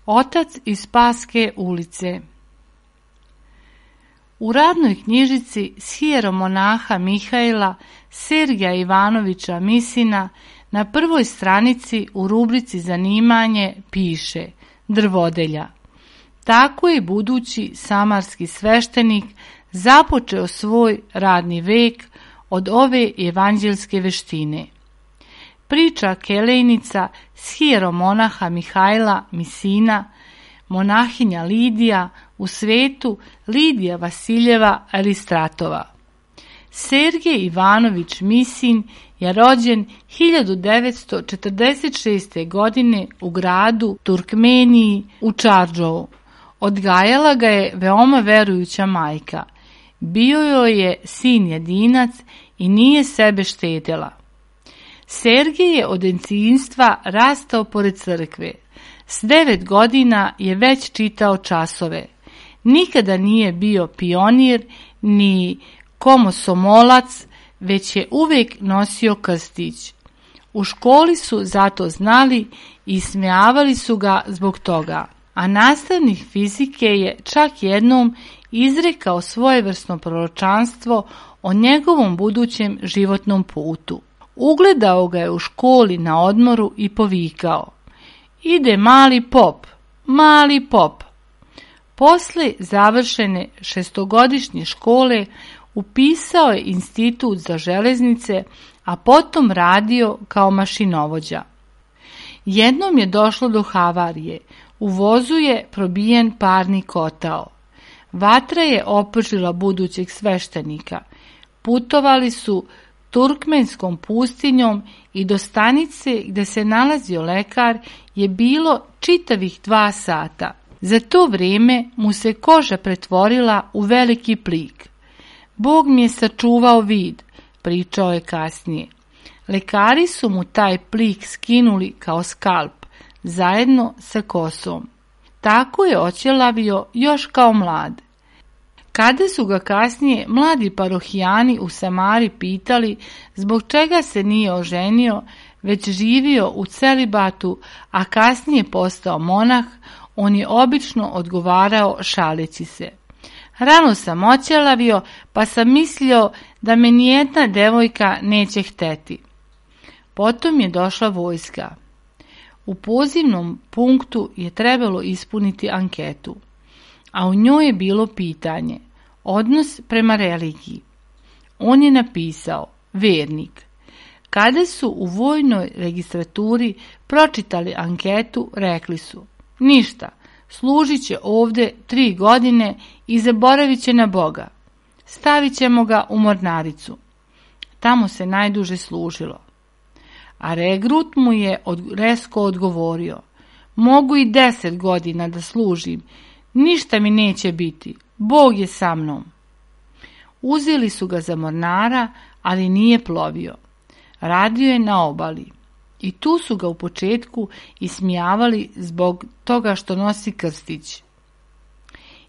Otac iz Spaske ulice. U radnoj knjižici sjeromonaha Mihajla Sergeja Ivanovića Misina na prvoj stranici u rubrici zanimanje piše drvodelja. Tako je budući samarski sveštenik započeo svoj radni vek od ove evanđelske veštine. Priča kelejnica sjeromonaha Mihajla Misina, monahinja Lidija u svetu Lidija Vasiljeva Elistratova. Sergej Ivanović Misin je rođen 1946. godine u gradu Turkmeniji u Čardžovu. Odgajala ga je veoma verujuća majka. Bio joj je sin jedinac i nije sebe štedjela. Sergej je od djetinjstva rastao pored crkve. S 9 godina je već čitao časove. Nikada nije bio pionir ni komosomolac, već je uvijek nosio krstić. U školi su zato znali i smijavali su ga zbog toga, a nastavnik fizike je čak jednom izrekao svojevrsno proročanstvo o njegovom budućem životnom putu. Ugledao ga je u školi na odmoru i povikao: "Ide mali pop, mali pop." Posle završene 6-godišnje škole upisao je institut za železnice, a potom radio kao mašinovođa. Jednom je došlo do havarije. U vozu je probijen parni kotao. Vatra je opržila budućeg sveštenika. Putovali su turkmenskom pustinjom i do stanice gdje se nalazio lekar je bilo čitavih 2 sata. Za to vrijeme mu se koža pretvorila u veliki plik. "Bog mi je sačuvao vid", pričao je kasnije. Lekari su mu taj plik skinuli kao skalp, zajedno sa kosom. Tako je oćelavio još kao mlad. Kada su ga kasnije mladi parohijani u Samari pitali zbog čega se nije oženio, već živio u celibatu, a kasnije postao monah, on je obično odgovarao šaleći se: "Rano sam oćelavio, pa sam mislio da me nijedna devojka neće hteti." Potom je došla vojska. U pozivnom punktu je trebalo ispuniti anketu, a u njoj je bilo pitanje: odnos prema religiji. On je napisao: vernik. Kada su u vojnoj registraturi pročitali anketu, rekli su: ništa, služit će ovdje 3 godine i zaboravit će na Boga. Stavit ćemo ga u mornaricu. Tamo se najduže služilo. A regrut mu je resko odgovorio: mogu i 10 godina da služim, ništa mi neće biti, Bog je sa mnom. Uzeli su ga za mornara, ali nije plovio. Radio je na obali. I tu su ga u početku ismijavali zbog toga što nosi krstić.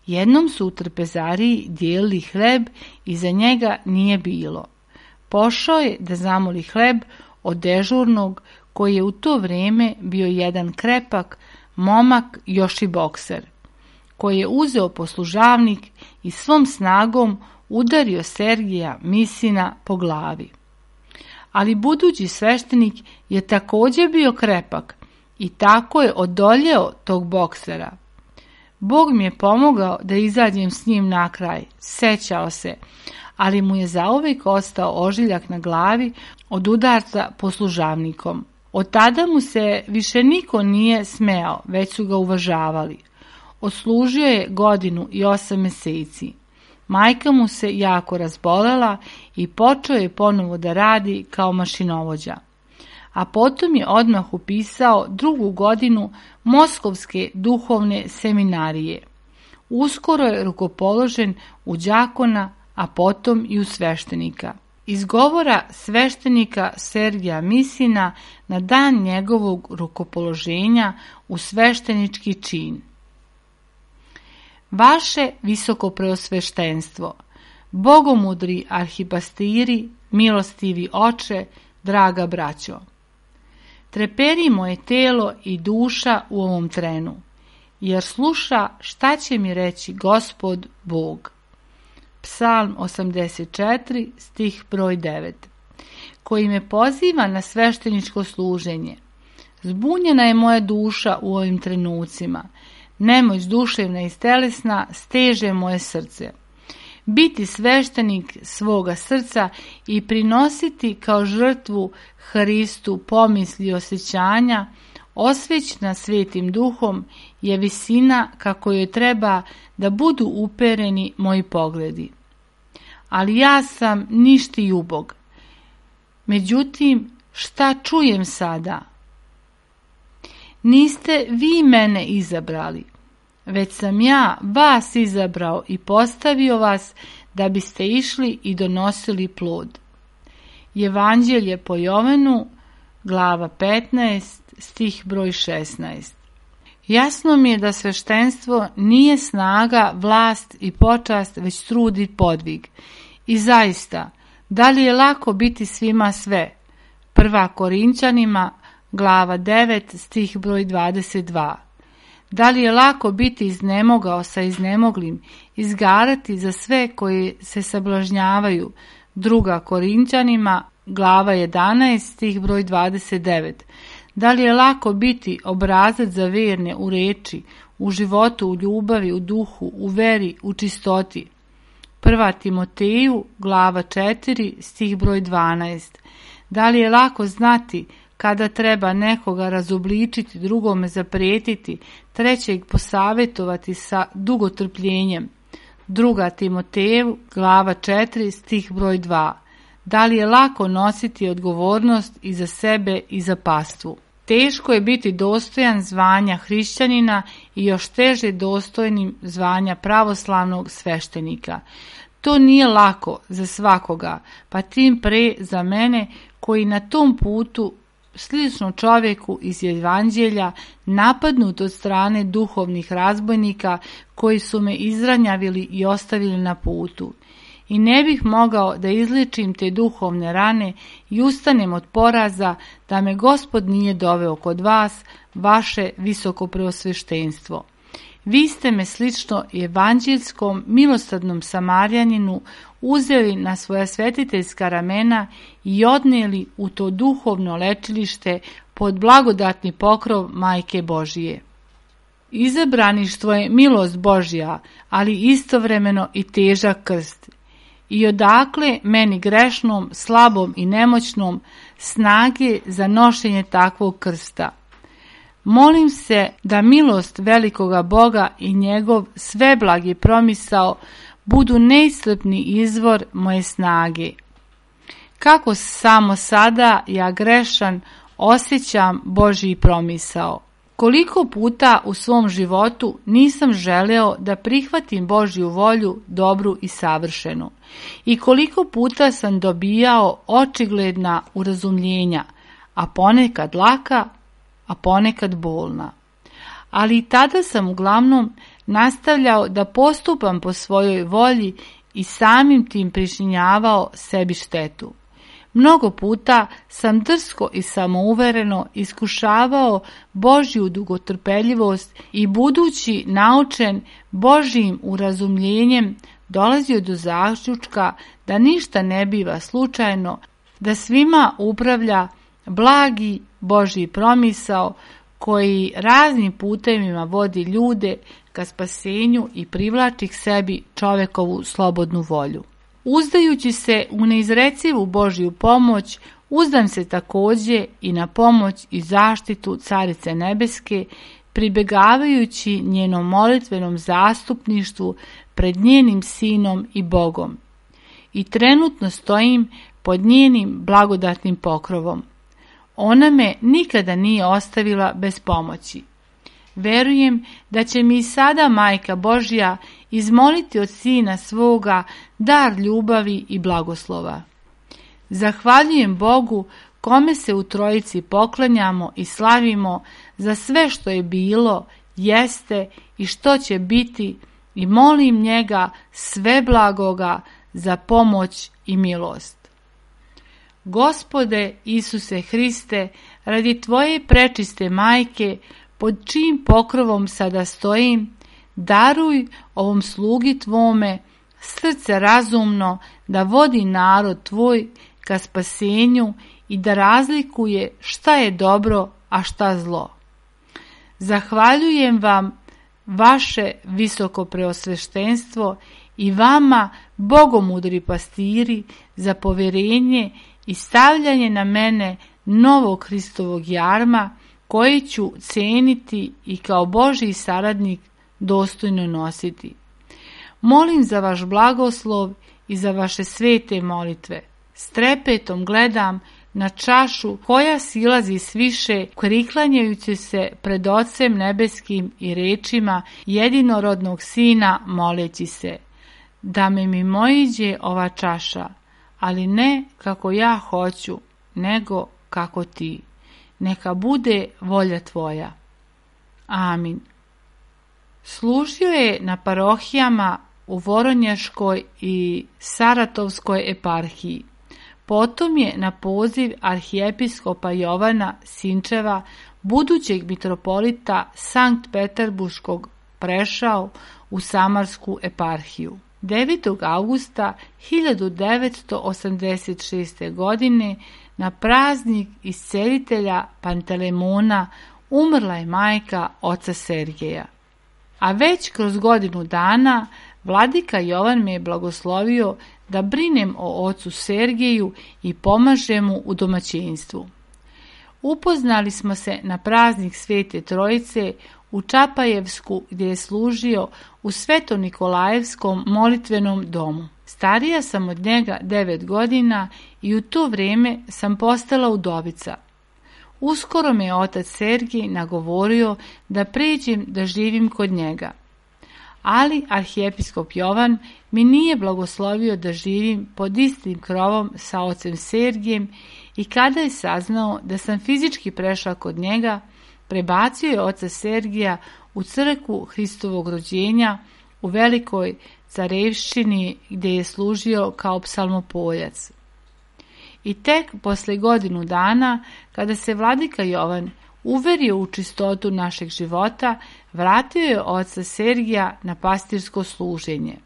Jednom su u trpezariji dijelili hleb i za njega nije bilo. Pošao je da zamoli hleb od dežurnog, koji je u to vrijeme bio jedan krepak momak, još i bokser, koji je uzeo poslužavnik i svom snagom udario Sergija Misina po glavi. Ali budući sveštenik je također bio krepak i tako je odoljeo tog boksera. Bog mi je pomogao da izađem s njim na kraj, sećao se, ali mu je zauvijek ostao ožiljak na glavi od udarca poslužavnikom. Od tada mu se više niko nije smejao, već su ga uvažavali. Odslužio je 1 i 8 mjeseci. Majka mu se jako razbolela i počeo je ponovo da radi kao mašinovođa. A potom je odmah upisao 2. godinu Moskovske duhovne seminarije. Uskoro je rukopoložen u đakona, a potom i u sveštenika. Iz govora sveštenika Sergija Misina na dan njegovog rukopoloženja u sveštenički čin. Vaše visokopreosveštenstvo, bogomudri arhipastiri, milostivi oče, draga braćo. Treperi moje telo i duša u ovom trenu, jer sluša šta će mi reći Gospod Bog. Psalm 84, stih broj 9, koji me poziva na svešteničko služenje. Zbunjena je moja duša u ovim trenucima, nemoć duševna i telesna steže moje srce. Biti sveštenik svoga srca i prinositi kao žrtvu Hristu pomisli i osjećanja, osvećena Svetim Duhom, je visina kako joj treba da budu upereni moji pogledi. Ali ja sam ništi ubog. Međutim, šta čujem sada? Niste vi mene izabrali, već sam ja vas izabrao i postavio vas da biste išli i donosili plod. Evanđelje po Jovanu, glava 15, stih broj 16. Jasno mi je da sveštenstvo nije snaga, vlast i počast, već trud i podvig. I zaista, da li je lako biti svima sve? 1. Korinćanima, glava 9, stih broj 22. Da li je lako biti iznemogao sa iznemoglim, izgarati za sve koji se sablažnjavaju? 2. Korinćanima, glava 11, stih broj 29. Da li je lako biti obrazac za verne u reči, u životu, u ljubavi, u duhu, u veri, u čistoti? 1. Timoteju, glava 4, stih broj 12. Da li je lako znati kada treba nekoga razobličiti, drugome zaprijetiti, trećeg posavjetovati sa dugotrpljenjem? 2. Timoteju, glava 4, stih broj 2. Da li je lako nositi odgovornost i za sebe i za pastvu? Teško je biti dostojan zvanja hrišćanina i još teže dostojnim zvanja pravoslavnog sveštenika. To nije lako za svakoga, pa tim pre za mene koji na tom putu, slično čovjeku iz Evanđelja, napadnut od strane duhovnih razbojnika koji su me izranjavili i ostavili na putu. I ne bih mogao da izliječim te duhovne rane i ustanem od poraza da me Gospod nije doveo kod vas, vaše visokopreosveštenstvo. Vi ste me slično evanđelskom milosrdnom Samarjaninu uzeli na svoja svetiteljska ramena i odnijeli u to duhovno lečilište pod blagodatni pokrov Majke Božije. Izabraništvo je milost Božja, ali istovremeno i težak krst. I odakle meni grešnom, slabom i nemoćnom snage za nošenje takvog krsta? Molim se da milost velikoga Boga i njegov sveblagi promisao budu neiscrpni izvor moje snage. Kako samo sada ja grešan osjećam Božji promisao. Koliko puta u svom životu nisam želeo da prihvatim Božju volju dobru i savršenu i koliko puta sam dobijao očigledna urazumljenja, a ponekad laka, a ponekad bolna. Ali i tada sam uglavnom nastavljao da postupam po svojoj volji i samim tim pričinjavao sebi štetu. Mnogo puta sam drsko i samouvereno iskušavao Božju dugotrpeljivost i budući naučen Božjim urazumljenjem dolazio do zaključka da ništa ne biva slučajno, da svima upravlja blagi Božji promisao koji raznim putevima vodi ljude ka spasenju i privlači k sebi čovekovu slobodnu volju. Uzdajući se u neizrecivu Božju pomoć, uzdam se također i na pomoć i zaštitu Carice Nebeske, pribegavajući njenom molitvenom zastupništvu pred njenim Sinom i Bogom. I trenutno stojim pod njenim blagodatnim pokrovom. Ona me nikada nije ostavila bez pomoći. Verujem da će mi i sada Majka Božja izmoliti od Sina svoga dar ljubavi i blagoslova. Zahvaljujem Bogu kome se u Trojici poklanjamo i slavimo za sve što je bilo, jeste i što će biti i molim njega sve blagoga za pomoć i milost. Gospode Isuse Hriste, radi Tvoje prečiste Majke, pod čijim pokrovom sada stojim, daruj ovom slugi Tvome srce razumno da vodi narod Tvoj ka spasenju i da razlikuje šta je dobro, a šta zlo. Zahvaljujem vam, vaše visoko preosveštenstvo, i vama, bogomudri pastiri, za povjerenje i stavljanje na mene novog Hristovog jarma, koji ću ceniti i kao Božji saradnik dostojno nositi. Molim za vaš blagoslov i za vaše svete molitve. S trepetom gledam na čašu koja silazi sviše, priklanjajući se pred Ocem nebeskim i rečima jedinorodnog Sina, moleći se: da me mimoiđe ova čaša, ali ne kako ja hoću, nego kako ti. Neka bude volja Tvoja. Amin. Služio je na parohijama u Voronjaškoj i Saratovskoj eparhiji. Potom je na poziv arhijepiskopa Jovana Sinčeva, budućeg mitropolita Sankt Peterburškog, prešao u Samarsku eparhiju. 9. augusta 1986. godine na praznik iscelitelja Pantelemona umrla je majka oca Sergeja. A već kroz godinu dana vladika Jovan me je blagoslovio da brinem o ocu Sergeju i pomažem mu u domaćinstvu. Upoznali smo se na praznik Svete Trojice u Čapajevsku, gdje je služio u Sveto-Nikolajevskom molitvenom domu. Starija sam od njega 9 godina i u to vrijeme sam postala udovica. Uskoro me je otac Sergij nagovorio da pređem da živim kod njega. Ali arhijepiskop Jovan mi nije blagoslovio da živim pod istim krovom sa ocem Sergijem i kada je saznao da sam fizički prešla kod njega, prebacio je oca Sergija u crkvu Hristovog rođenja u Velikoj Carevščini, gdje je služio kao psalmopoljac. I tek posle godinu dana, kada se vladika Jovan uverio u čistotu našeg života, vratio je oca Sergija na pastirsko služenje.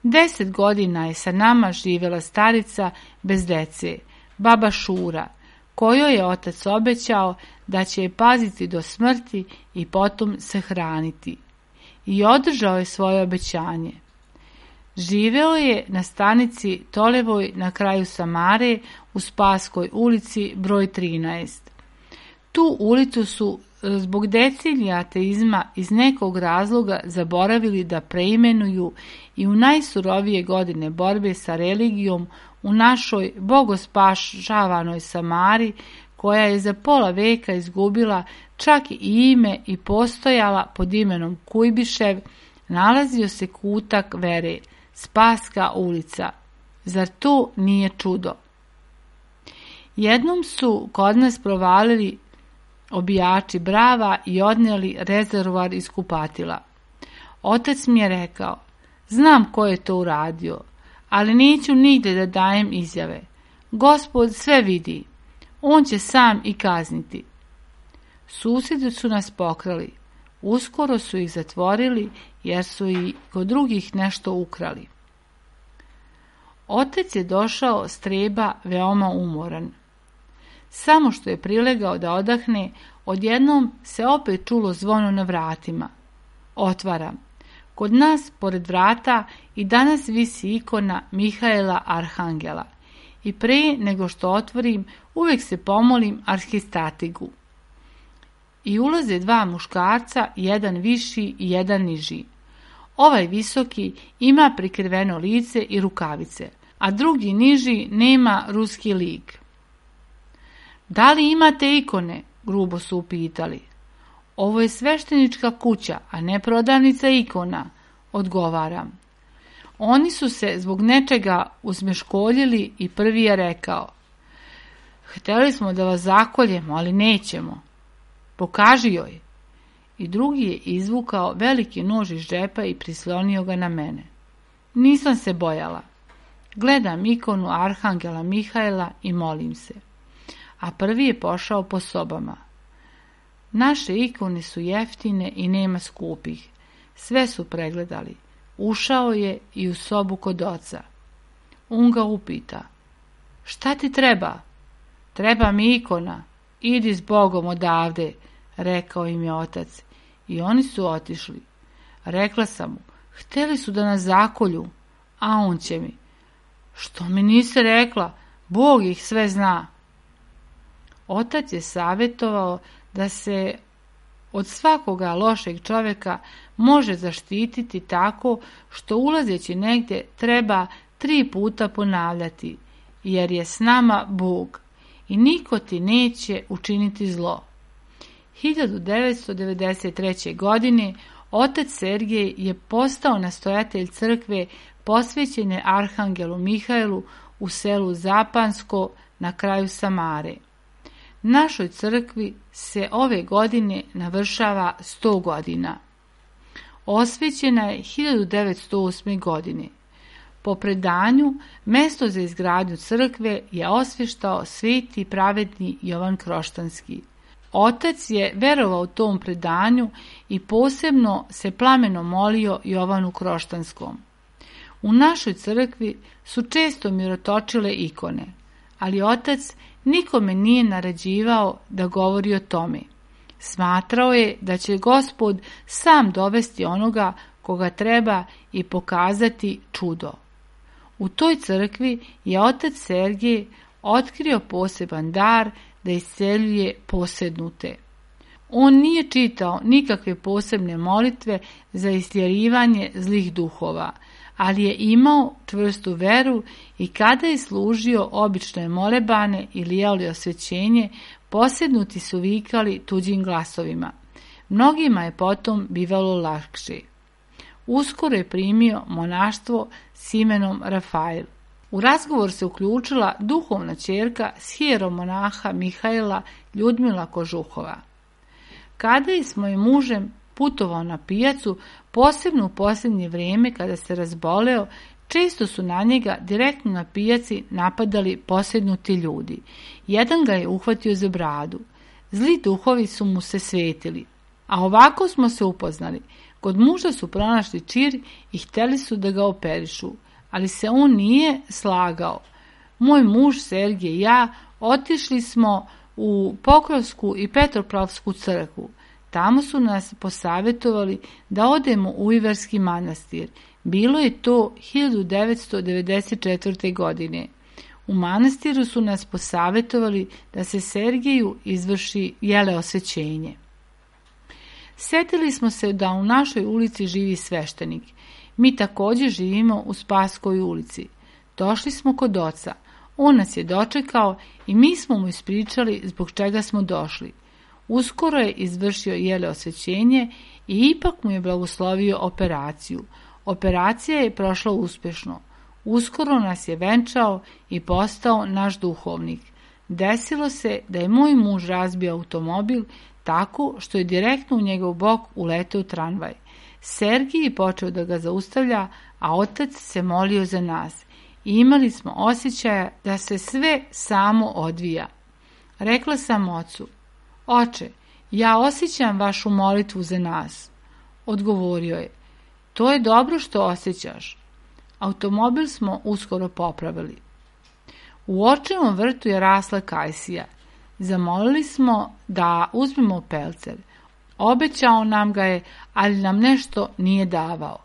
10 godina je sa nama živjela starica bez dece, baba Šura, kojoj je otac obećao da će je paziti do smrti i potom sahraniti. I održao je svoje obećanje. Živeo je na stanici Tolevoj na kraju Samare u Spaskoj ulici broj 13. Tu ulicu su zbog decenija ateizma iz nekog razloga zaboravili da preimenuju i u najsurovije godine borbe sa religijom u našoj bogospašavanoj Samari, koja je za pola veka izgubila čak i ime i postojala pod imenom Kujbišev, nalazio se kutak vere, Spaska ulica. Zar to nije čudo? Jednom su kod nas provalili obijači brava i odnijeli rezervoar iz kupatila. Otac mi je rekao, znam ko je to uradio, ali neću nigdje da dajem izjave. Gospod sve vidi, on će sam i kazniti. Susjedi su nas pokrali, uskoro su ih zatvorili jer su i kod drugih nešto ukrali. Otac je došao s treba veoma umoran. Samo što je prilegao da odahne, odjednom se opet čulo zvono na vratima. Otvaram. Kod nas, pored vrata, i danas visi ikona Mihaela Arhangela. I pre nego što otvorim, uvijek se pomolim arhistatigu. I ulaze dva muškarca, jedan viši i jedan niži. Ovaj visoki ima prikriveno lice i rukavice, a drugi niži nema ruski lik. Da li imate ikone? Grubo su upitali. Ovo je sveštenička kuća, a ne prodavnica ikona, odgovaram. Oni su se zbog nečega uzmeškoljili i prvi je rekao, htjeli smo da vas zakoljemo, ali nećemo. Pokaži joj. I drugi je izvukao veliki nož iz džepa i prislonio ga na mene. Nisam se bojala. Gledam ikonu Arhangela Mihaela i molim se. A prvi je pošao po sobama. Naše ikone su jeftine i nema skupih. Sve su pregledali. Ušao je i u sobu kod oca. On ga upita. Šta ti treba? Treba mi ikona. Idi s Bogom odavde, rekao im je otac. I oni su otišli. Rekla sam mu, htjeli su da nas zakolju, a on će mi. Što mi nisi rekla? Bog ih sve zna. Otac je savjetovao da se od svakoga lošeg čovjeka može zaštititi tako što ulazeći negdje treba 3 puta ponavljati, jer je s nama Bog i niko ti neće učiniti zlo. 1993. godine otac Sergej je postao nastojatelj crkve posvećene Arhangelu Mihaelu u selu Zapansko na kraju Samare. Našoj crkvi se ove godine navršava 100 godina. Osvećena je 1908. godine. Po predanju, mjesto za izgradnju crkve je osvještao sveti pravedni Jovan Kroštanski. Otac je verovao tom predanju i posebno se plameno molio Jovanu Kroštanskom. U našoj crkvi su često mirotočile ikone, ali otac nikome nije naređivao da govori o tome. Smatrao je da će Gospod sam dovesti onoga koga treba i pokazati čudo. U toj crkvi je otac Sergej otkrio poseban dar da isceljuje posednute. On nije čitao nikakve posebne molitve za istjerivanje zlih duhova, ali je imao čvrstu veru i kada je služio obične molebane ili jeli osvećenje, posednuti su vikali tuđim glasovima. Mnogima je potom bivalo lakše. Uskoro je primio monaštvo s imenom Rafael. U razgovor se uključila duhovna ćerka s hieromonaha Mihaela Ljudmila Kožuhova. Kada je s mojim mužem putovao na pijacu, posebno u posljednje vrijeme kada se razboleo, često su na njega direktno na pijaci napadali posednuti ljudi. Jedan ga je uhvatio za bradu. Zli duhovi su mu se svetili. A ovako smo se upoznali. Kod muža su pronašli čir i htjeli su da ga operišu, ali se on nije slagao. Moj muž Sergej i ja otišli smo u Pokrovsku i Petropavlovsku crkvu. Tamo su nas posavjetovali da odemo u Iverski manastir. Bilo je to 1994. godine. U manastiru su nas posavjetovali da se Sergeju izvrši osvećenje. Sjetili smo se da u našoj ulici živi sveštenik. Mi također živimo u Spaskoj ulici. Došli smo kod oca. On nas je dočekao i mi smo mu ispričali zbog čega smo došli. Uskoro je izvršio osvećenje i ipak mu je blagoslovio operaciju. Operacija je prošla uspješno. Uskoro nas je venčao i postao naš duhovnik. Desilo se da je moj muž razbio automobil tako što je direktno u njegov bok uleteo tramvaj. Sergij je počeo da ga zaustavlja, a otac se molio za nas. I imali smo osjećaja da se sve samo odvija. Rekla sam ocu: Oče, ja osjećam vašu molitvu za nas. Odgovorio je: To je dobro što osjećaš. Automobil smo uskoro popravili. U očevom vrtu je rasla kajsija. Zamolili smo da uzmemo pelcer. Obećao nam ga je, ali nam nešto nije davao.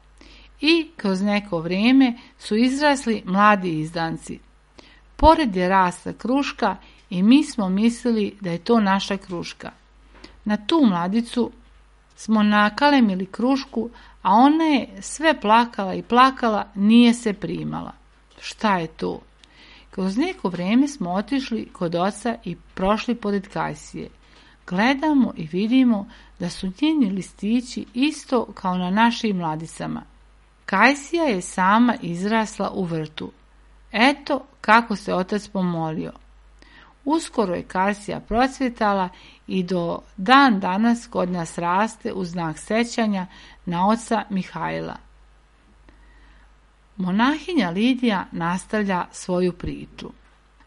I kroz neko vrijeme su izrasli mladi izdanci. Pored je rasla kruška i mi smo mislili da je to naša kruška. Na tu mladicu smo nakalemili krušku, a ona je sve plakala i plakala, nije se primala. Šta je to? Kroz neko vrijeme smo otišli kod oca i prošli pored kajsije. Gledamo i vidimo da su njeni listići isto kao na našim mladicama. Kajsija je sama izrasla u vrtu. Eto kako se otac pomolio. Uskoro je kajsija procvjetala i do dan danas kod nas raste u znak sećanja na oca Mihajla. Monahinja Lidija nastavlja svoju priču.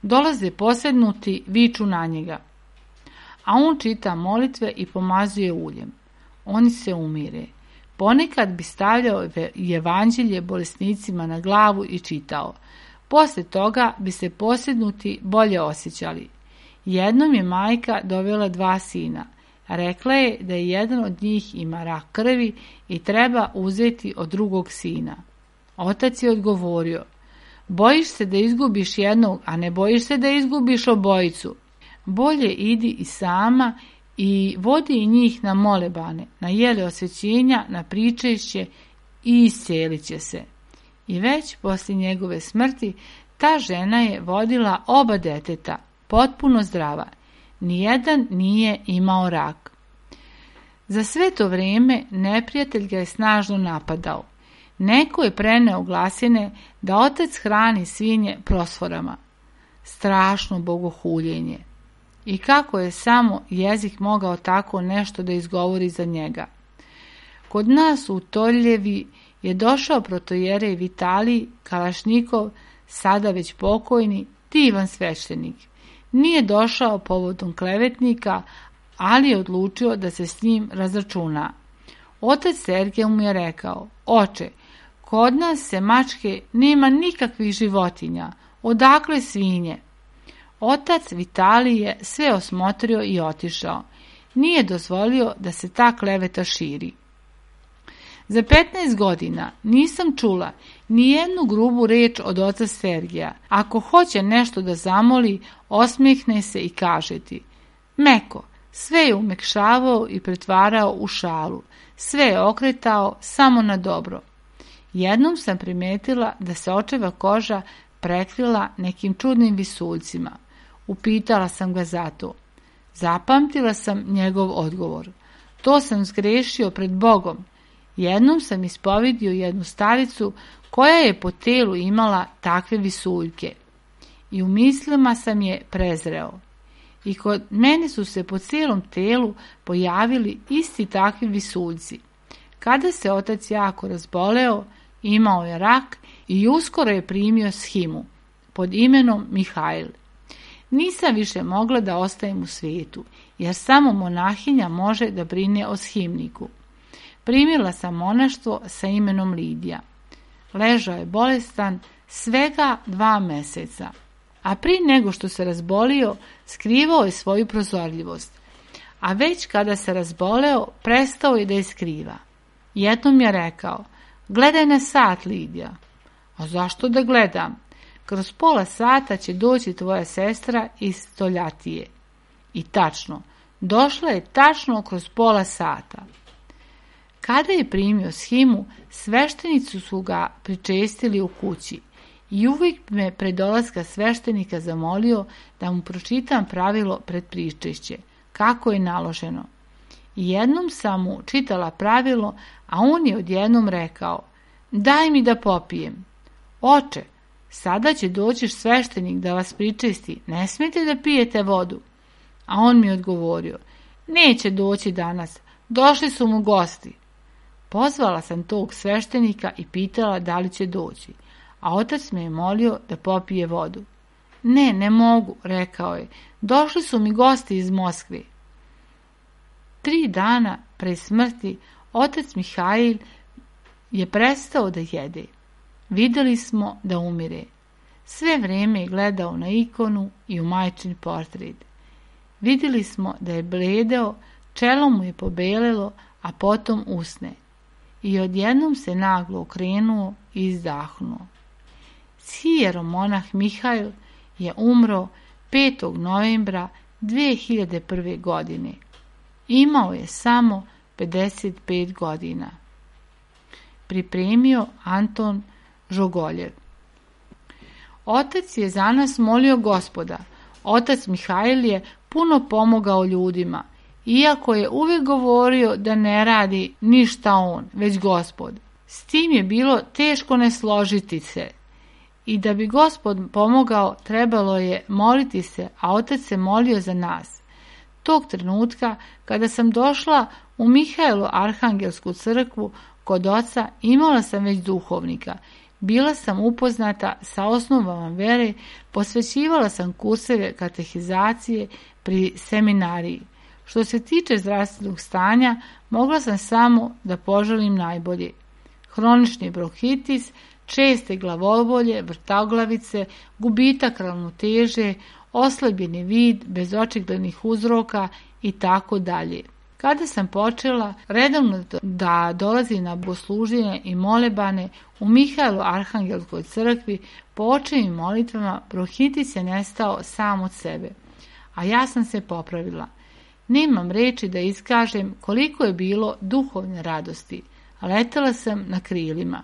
Dolaze posednuti, viču na njega, a on čita molitve i pomazuje uljem. Oni se umire. Ponekad bi stavljao evanđelje bolesnicima na glavu i čitao. Poslije toga bi se posednuti bolje osjećali. Jednom je majka dovela 2 sina. Rekla je da je jedan od njih ima rak krvi i treba uzeti od drugog sina. Otac je odgovorio: Bojiš se da izgubiš jednog, a ne bojiš se da izgubiš obojicu. Bolje idi i sama i vodi i njih na molebane, na jele osvećenja, na pričešće i iscijelit će se. I već poslije njegove smrti ta žena je vodila oba deteta, potpuno zdrava. Nijedan nije imao rak. Za sve to vrijeme neprijatelj ga je snažno napadao. Neko je preneo glasine da otac hrani svinje prosforama. Strašno bogohuljenje. I kako je samo jezik mogao tako nešto da izgovori za njega. Kod nas u Toljevi je došao protojerej Vitalij Kalašnikov, sada već pokojni, divan sveštenik. Nije došao povodom klevetnika, ali je odlučio da se s njim razračuna. Otac Sergej mu je rekao: Oče, kod nas se mačke nema nikakvih životinja, odakle svinje? Otac Vitalij je sve osmotrio i otišao. Nije dozvolio da se ta kleveta širi. Za 15 godina nisam čula ni jednu grubu reč od oca Sergeja. Ako hoće nešto da zamoli, osmijehne se i kaže ti: Meko, sve je umekšavao i pretvarao u šalu, sve je okretao samo na dobro. Jednom sam primetila da se očeva koža prekrila nekim čudnim visuljcima. Upitala sam ga zato. Zapamtila sam njegov odgovor. To sam zgrešio pred Bogom. Jednom sam ispovidio jednu staricu koja je po telu imala takve visuljke i u mislima sam je prezreo. I kod mene su se po cijelom telu pojavili isti takvi visuljci. Kada se otac jako razboleo, imao je rak i uskoro je primio shimu pod imenom Mihajl. Nisam više mogla da ostajem u svijetu, jer samo monahinja može da brine o shimniku. Primila sam monaštvo sa imenom Lidija. Ležao je bolestan svega 2 mjeseca, a prije nego što se razbolio, skrivao je svoju prozorljivost. A već kada se razboleo, prestao je da je skriva. Jednom je rekao: Gledaj na sat, Lidija. A zašto da gledam? Kroz pola sata će doći tvoja sestra iz Stoljatije. I tačno, došla je tačno kroz pola sata. Kada je primio shimu, sveštenicu su ga pričestili u kući i uvijek me pred dolaska sveštenika zamolio da mu pročitam pravilo pred pričešće. kako je naloženo. I jednom sam mu čitala pravilo, a on je odjednom rekao: daj mi da popijem. Oče, sada će doći sveštenik da vas pričesti, ne smijete da pijete vodu. A on mi odgovorio: neće doći danas, došli su mu gosti. Pozvala sam tog sveštenika i pitala da li će doći, a otac me je molio da popije vodu. Ne mogu, rekao je, došli su mi gosti iz Moskve. 3 dana pre smrti otac Mihajl je prestao da jede. Vidjeli smo da umire. Sve vrijeme je gledao na ikonu i u majčin portret. Vidjeli smo da je bledeo, čelo mu je pobelelo, a potom usne. I odjednom se naglo okrenuo i izdahnuo. Sjeromonah Mihajl je umro 5. novembra 2001. godine. Imao je samo 55 godina. Pripremio Anton Žogoljev. Otac je za nas molio Gospoda. Otac Mihajl je puno pomogao ljudima, iako je uvijek govorio da ne radi ništa on, već Gospod. S tim je bilo teško ne složiti se. I da bi Gospod pomogao, trebalo je moliti se, a otac se molio za nas. Tog trenutka, kada sam došla u Mihajlu Arhangelsku crkvu kod oca, imala sam već duhovnika. Bila sam upoznata sa osnovama vere, posvećivala sam kurseve katehizacije pri seminariji. Što se tiče zdravstvenog stanja, mogla sam samo da poželim najbolje. Hronični bronhitis, česte glavobolje, vrtoglavice, gubitak ravnoteže, oslabljeni vid bez očiglednih uzroka i tako dalje. Kada sam počela redovno da dolazim na bogosluženje i molebane u Mihajlu Arhangelskoj crkvi, po očevim molitvama bronhitis je nestao sam od sebe, a ja sam se popravila. Nemam reči da iskažem koliko je bilo duhovne radosti, a letela sam na krilima.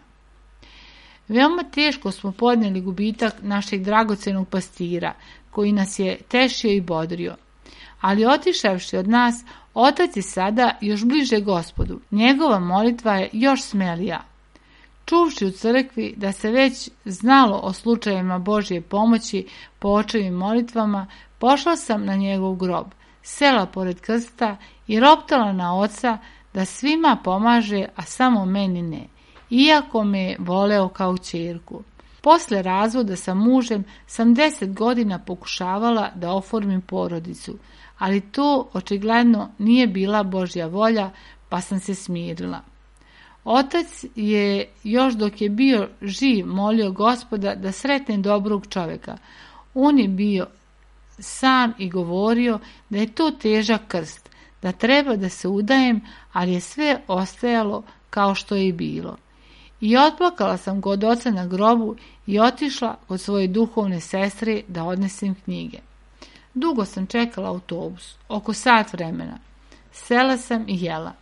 Veoma teško smo podnijeli gubitak našeg dragocenog pastira, koji nas je tešio i bodrio. Ali otišavši od nas, otac je sada još bliže Gospodu. Njegova molitva je još smelija. Čuvši u crkvi da se već znalo o slučajevima Božje pomoći po očevim molitvama, pošla sam na njegov grob, sela pored krsta i roptala na oca da svima pomaže, a samo meni ne, iako me je voleo kao ćerku. Posle razvoda sa mužem sam 10 godina pokušavala da oformim porodicu, ali to očigledno nije bila Božja volja, pa sam se smirila. Otac je još dok je bio živ molio Gospoda da sretne dobrog čovjeka. On je bio sam i govorio da je to težak krst, da treba da se udajem, ali je sve ostajalo kao što je i bilo. I otplakala sam kod oca na grobu i otišla kod svoje duhovne sestre da odnesem knjige. Dugo sam čekala autobus, oko sat vremena. Sela sam i jela.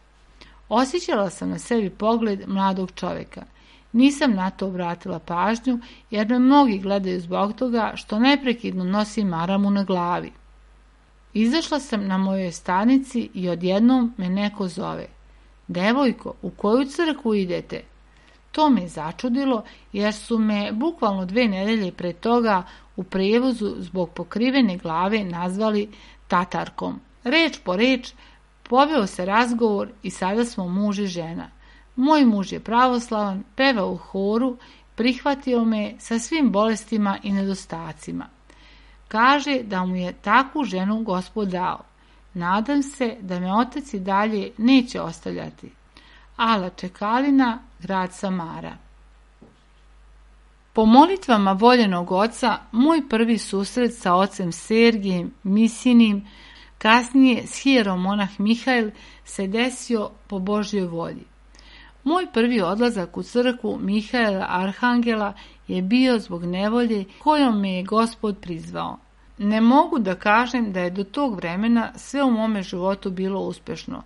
Osjećala sam na sebi pogled mladog čovjeka. Nisam na to obratila pažnju, jer me mnogi gledaju zbog toga što neprekidno nosim maramu na glavi. Izašla sam na mojoj stanici i odjednom me neko zove. Devojko, u koju crkvu idete? To me začudilo, jer su me bukvalno 2 nedelje pre toga u prijevozu zbog pokrivene glave nazvali tatarkom. Reč po reč poveo se razgovor i sada smo muž i žena. Moj muž je pravoslavan, peva u horu, prihvatio me sa svim bolestima i nedostacima. Kaže da mu je takvu ženu Gospod dao. Nadam se da me otac i dalje neće ostavljati. Ala Čekalina, grad Samara. Po molitvama voljenog oca, moj prvi susret sa ocem Sergijem Misinim, kasnije s hieromonah Mihajl, se desio po Božjoj volji. Moj prvi odlazak u crkvu Mihajla Arhangela je bio zbog nevolje kojom me je Gospod prizvao. Ne mogu da kažem da je do tog vremena sve u mome životu bilo uspješno,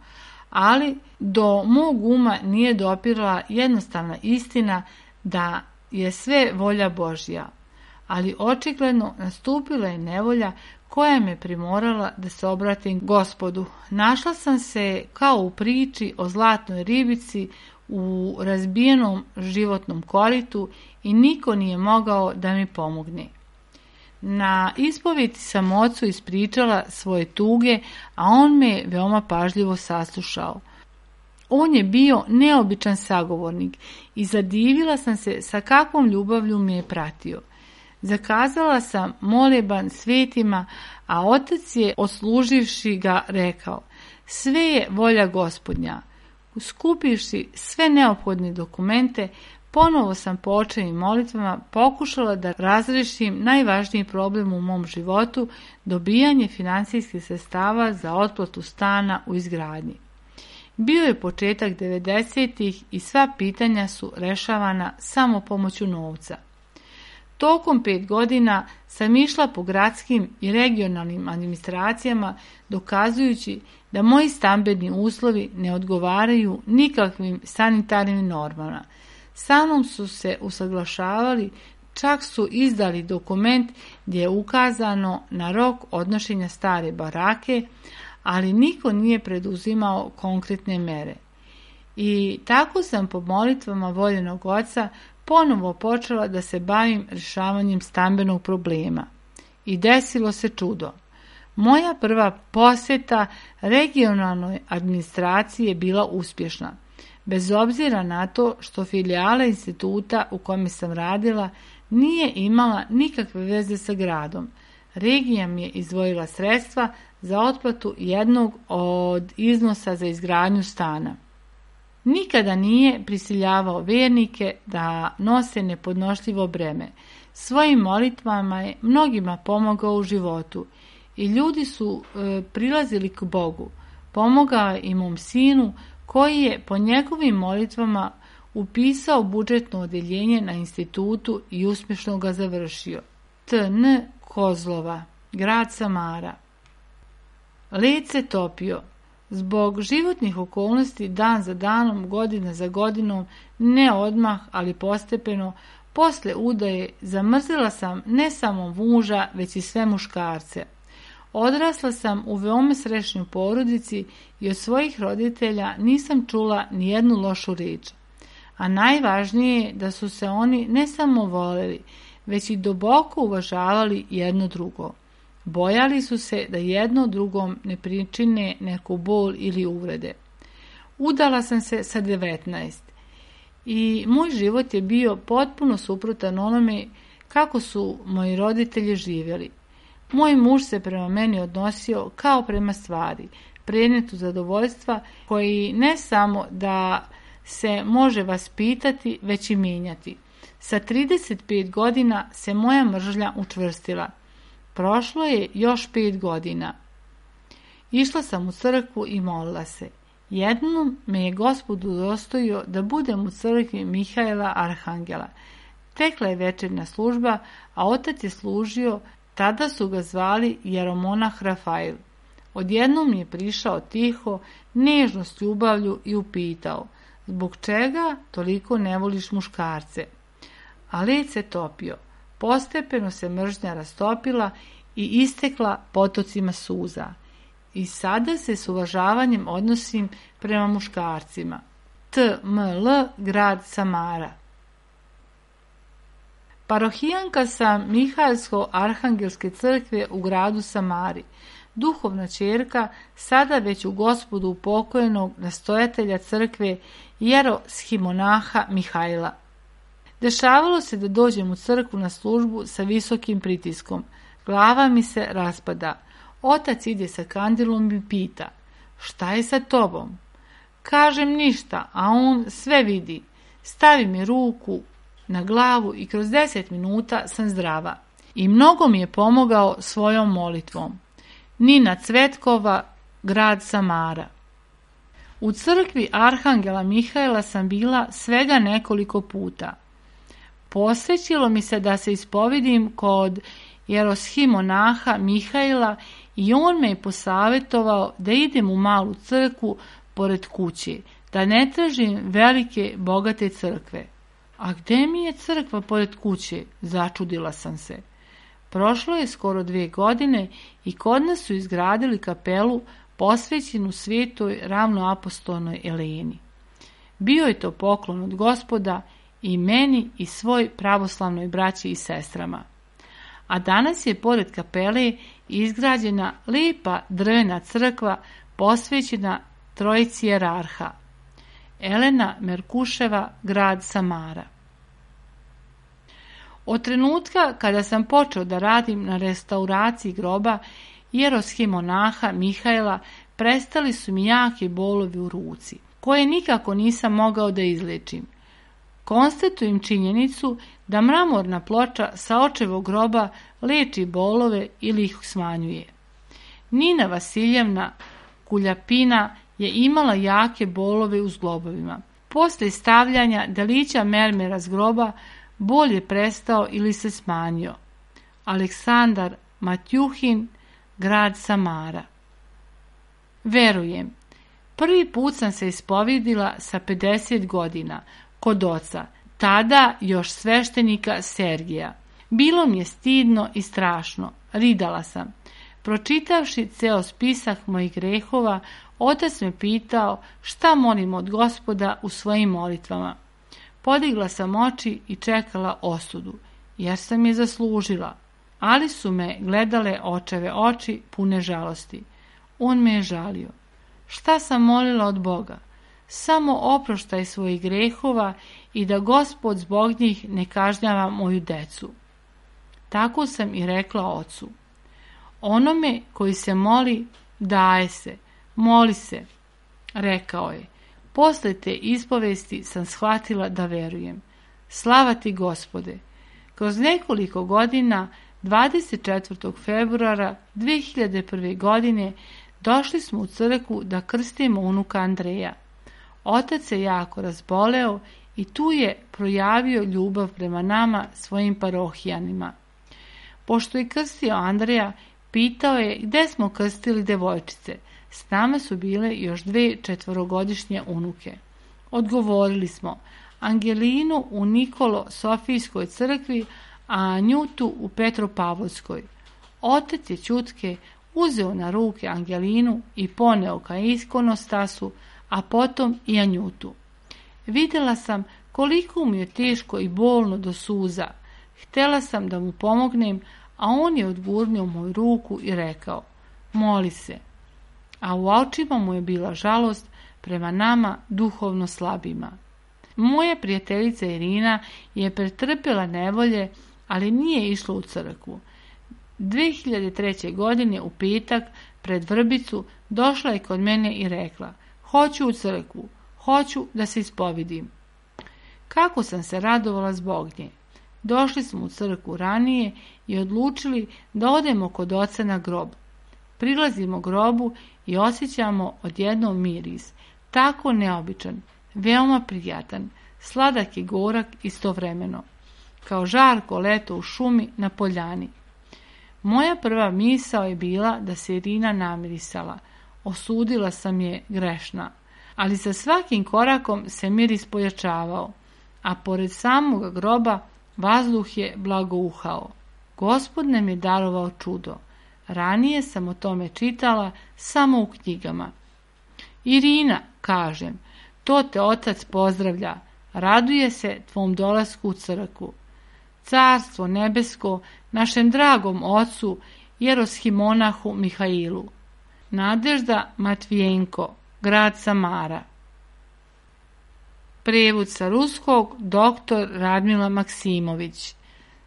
ali do mog uma nije dopirala jednostavna istina da je sve volja Božja. ali očigledno nastupila je nevolja koja me primorala da se obratim Gospodu. Našla sam se kao u priči o zlatnoj ribici u razbijenom životnom koritu i niko nije mogao da mi pomogne. Na ispovedi sam ocu ispričala svoje tuge, a on me veoma pažljivo saslušao. On je bio neobičan sagovornik i zadivila sam se sa kakvom ljubavlju me je pratio. Zakazala sam moleban svetima, a otac je, odsluživši ga, rekao: sve je volja Gospodnja. Skupivši sve neophodne dokumente, ponovo sam po očevim molitvama pokušala da razrešim najvažniji problem u mom životu, dobijanje financijskih sredstava za otplatu stana u izgradnji. Bio je početak 90-ih i sva pitanja su rešavana samo pomoću novca. Tokom 5 godina sam išla po gradskim i regionalnim administracijama dokazujući da moji stambeni uslovi ne odgovaraju nikakvim sanitarnim normama. Sa mnom su se usaglašavali, čak su izdali dokument gdje je ukazano na rok odnošenja stare barake, ali niko nije preduzimao konkretne mere. I tako sam po molitvama voljenog oca ponovo počela da se bavim rješavanjem stambenog problema. I desilo se čudo. Moja prva posjeta regionalnoj administraciji je bila uspješna, bez obzira na to što filijala instituta u kome sam radila nije imala nikakve veze sa gradom. Regija mi je izdvojila sredstva za otplatu jednog od iznosa za izgradnju stana. Nikada nije prisiljavao vjernike da nose nepodnošljivo breme. Svojim molitvama je mnogima pomogao u životu i ljudi su prilazili k Bogu. Pomogao je i mom sinu koji je po njegovim molitvama upisao budžetno odeljenje na institutu i uspješno ga završio. T.N. Kozlova, grad Samara. Led se topio. Zbog životnih okolnosti dan za danom, godina za godinom, ne odmah, ali postepeno, posle udaje zamrzela sam ne samo muža, već i sve muškarce. Odrasla sam u veoma srećnoj porodici i od svojih roditelja nisam čula ni jednu lošu riječ. A najvažnije je da su se oni ne samo voleli, već i duboko uvažavali jedno drugo. Bojali su se da jedno drugom ne pričine neku bol ili uvrede. Udala sam se sa 19 i moj život je bio potpuno suprotan onome kako su moji roditelji živjeli. Moj muž se prema meni odnosio kao prema stvari, predmetu zadovoljstva koji ne samo da se može vaspitati, već i mijenjati. Sa 35 godina se moja mržnja učvrstila. Prošlo je još 5 godina. Išla sam u crkvu i molila se. Jednom me je Gospod udostojio da budem u crkvi Mihaela Arhangela. Tekla je večernja služba, a otac je služio, tada su ga zvali jeromonah Rafael. Odjednom mi je prišao tiho, nežno s ljubavlju i upitao: zbog čega toliko ne voliš muškarce? A led se topio. Postepeno se mržnja rastopila i istekla potocima suza. I sada se s uvažavanjem odnosim prema muškarcima. T.M.L. grad Samara. Parohijanka sam Mihaelsko-Arhangelske crkve u gradu Samari, duhovna ćerka sada već u Gospodu upokojenog nastojatelja crkve jeroshimonaha Mihaila. Dešavalo se da dođem u crkvu na službu sa visokim pritiskom. Glava mi se raspada. Otac ide sa kandilom i pita: šta je sa tobom? Kažem ništa, a on sve vidi. Stavi mi ruku na glavu i kroz 10 minuta sam zdrava. I mnogo mi je pomogao svojom molitvom. Nina Cvetkova, grad Samara. U crkvi Arhangela Mihaela sam bila svega nekoliko puta. Posvećilo mi se da se ispovidim kod jeroshimonaha Mihaila i on me je posavjetovao da idem u malu crkvu pored kuće, da ne tražim velike bogate crkve. A gde mi je crkva pored kuće? Začudila sam se. Prošlo je skoro 2 godine i kod nas su izgradili kapelu posvećenu svetoj ravnoapostolnoj Eleni. Bio je to poklon od Gospoda i meni i svoj pravoslavnoj braći i sestrama. A danas je pored kapele izgrađena lijepa drvena crkva posvećena trojici jerarha. Elena Merkuševa, grad Samara. Od trenutka kada sam počeo da radim na restauraciji groba jeroshimonaha Mihajla, prestali su mi jaki bolovi u ruci, koje nikako nisam mogao da izlečim. Konstatujem činjenicu da mramorna ploča sa očevog groba leči bolove ili ih smanjuje. Nina Vasiljevna Kuljapina je imala jake bolove u zglobovima. Posle stavljanja delića mermera s groba bol je prestao ili se smanjio. Aleksandar Matjuhin, grad Samara. Verujem, prvi put sam se ispovedila sa 50 godina kod oca, tada još sveštenika Sergija. Bilo mi je stidno i strašno, ridala sam. Pročitavši ceo spisak mojih grehova, otac me pitao šta molim od Gospoda u svojim molitvama. Podigla sam oči i čekala osudu, jer sam je zaslužila, ali su me gledale očeve oči pune žalosti. On me je žalio. Šta sam molila od Boga? Samo oproštaj svojih grehova i da Gospod zbog njih ne kažnjava moju decu. Tako sam i rekla ocu. Onome koji se moli, daje se, moli se, rekao je. Posle te ispovesti sam shvatila da verujem. Slava ti, Gospode! Kroz nekoliko godina, 24. februara 2001. godine, došli smo u crkvu da krstimo unuka Andreja. Otac se jako razboleo i tu je projavio ljubav prema nama, svojim parohijanima. Pošto je krstio Andreja, pitao je gde smo krstili devojčice. S nama su bile još 2 četvorogodišnje unuke. Odgovorili smo Angelinu u Nikolo Sofijskoj crkvi, a Anjutu u Petropavlovskoj. Otac je ćutke uzeo na ruke Angelinu i poneo ka ikonostasu, a potom i Anjutu. Vidjela sam koliko mu je teško i bolno do suza. Htjela sam da mu pomognem, a on je odgurnuo moju ruku i rekao, moli se. A u očima mu je bila žalost prema nama duhovno slabima. Moja prijateljica Irina je pretrpjela nevolje, ali nije išla u crkvu. 2003. godine u petak pred Vrbicu došla je kod mene i rekla, hoću u crkvu, hoću da se ispovidim. Kako sam se radovala zbog nje. Došli smo u crkvu ranije i odlučili da odemo kod oca na grob. Prilazimo grobu i osjećamo odjednom miris, tako neobičan, veoma prijatan, sladak i gorak istovremeno, kao žarko leto u šumi na poljani. Moja prva misao je bila da se Irina namirisala, osudila sam je grešna, ali sa svakim korakom se miris pojačavao, a pored samog groba vazduh je blagouhao. Gospod nam je darovao čudo. Ranije sam o tome čitala samo u knjigama. Irina, kažem, to te otac pozdravlja, raduje se tvom dolasku u crkvu. Carstvo nebesko našem dragom ocu jeroshimonahu Mihailu. Nadežda Matvijenko, grad Samara. Prevod sa ruskog dr. Radmila Maksimović.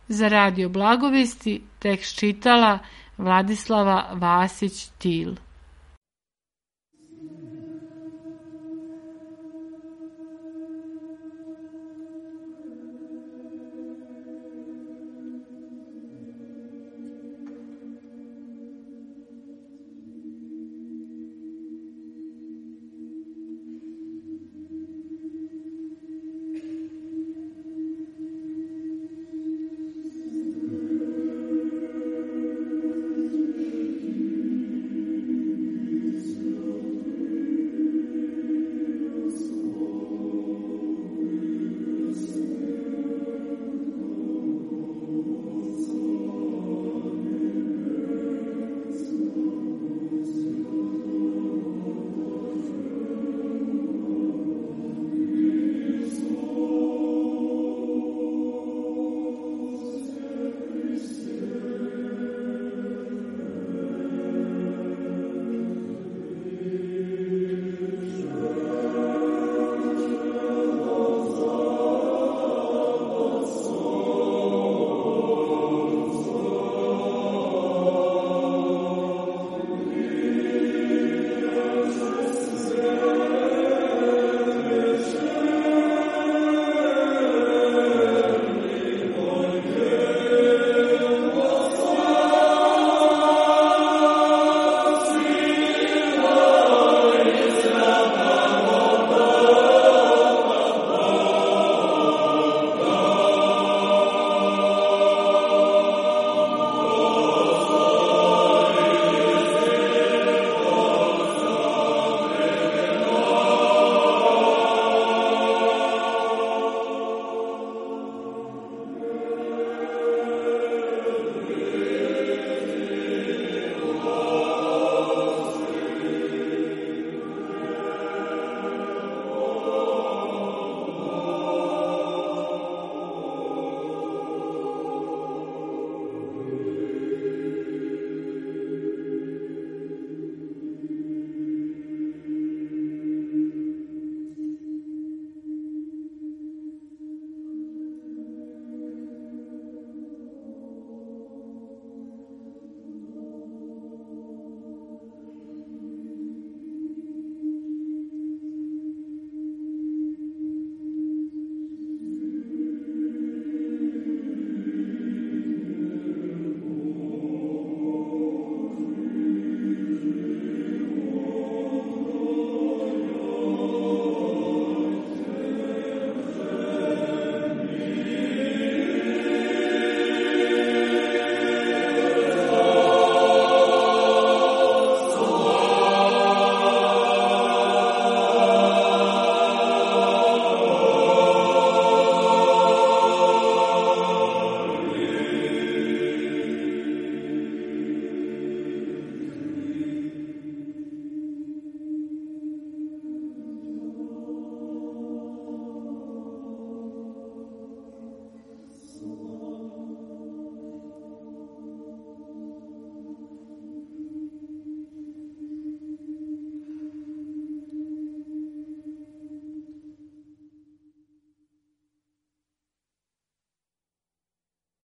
Za Radio Blagovesti tekst čitala Vladislava Vasić-Til.